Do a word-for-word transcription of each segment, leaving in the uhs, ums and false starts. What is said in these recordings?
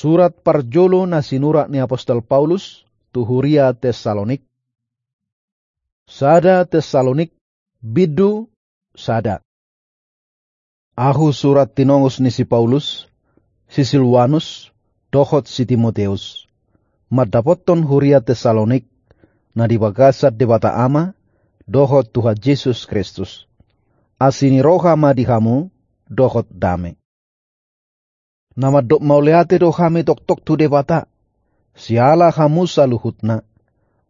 Surat parjolo na sinurat ni apostel Paulus tu huria Tessalonik. Sada Tessalonik, bindu sada. Ahu surat tinongos ni si Paulus, si Silwanus, dohot si Timoteus, mandapothon huria Tessalonik, na di bagasan Debata Ama, dohot Tuhan Jesus Kristus. Asi ni roha ma di hamu, dohot dame. Na mandok mauliate do hami toktok tu Debata, siala hamu saluhutna.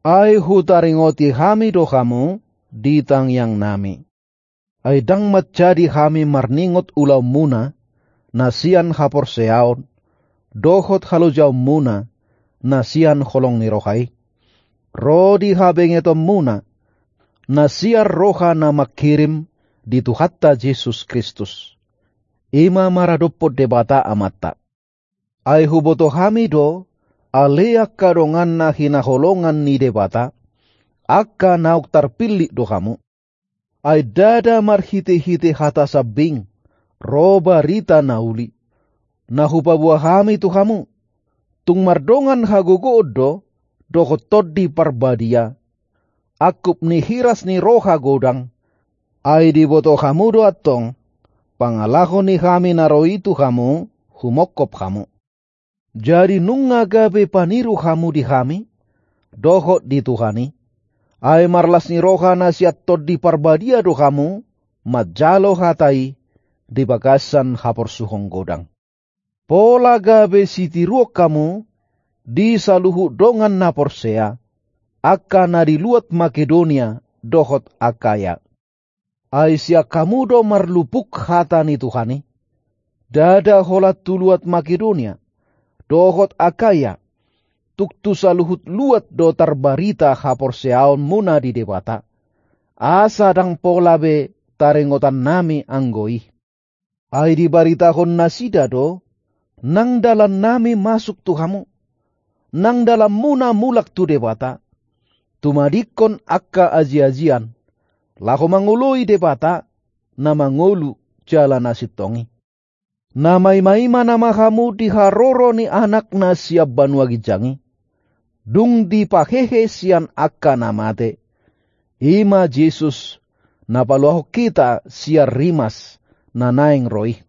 Ai hutaringoti hami do hamu di tangiangnami. Ai ndang manjadi hami marningot ulaonmuna, na sian haporseaon, dohot halojaonmuna, na sian holong ni roha i. Ro di habengetonmuna, na sian roha na mangkirim di Tuhanta Jesus Kristus. I ma maradophon Debata Amanta. Ai huboto hami do, ale angka dongan na hinaholongan ni Debata, angka naung tarpillit do hamu. Ai ndada marhitehite hata sambing, ro barita na uli, na hupaboa hami tu hamu. Tung mardongan hagogoon do, dohot Tondi Parbadia, angkup ni hiras ni roha godang. Ai diboto hamu do antong, pangalaho ni hami na ro i tu hamu, humongkop hamu. Jadi nunga gabe paniru hamu di hami, dohot di Tuhan i. Ai marlas ni roha na sian Tondi Parbadia do hamu, manjalo hata i, di bagasan haporsuhon godang. Pola gabe sitiruon hamu, di saluhut dongan na porsea, angka na di luat Makedonia, dohot Akaya. Ai sian hamu do marlupuk hata ni Tuhan i. Ndada holan tu luat Makedonia, dohot Akaya, tung tu saluhut luat do tarbarita haporseaonmuna di Debata. Asa ndang pola be taringotannami anggo i. Ai dibaritahon nasida do, nang dalannami masuk tu hamu, nang dalanmuna mulak tu Debata, tumadingkon angka ajiajian, laho mangoloi Debata, na mangolu jala na sintong i. Na maimaima nama hamu di haroro ni Anakna sian banua ginjang i, dung dipahehe sian angka na mate, i ma Jesus, na paluahon hita sian rimas, na naeng ro i.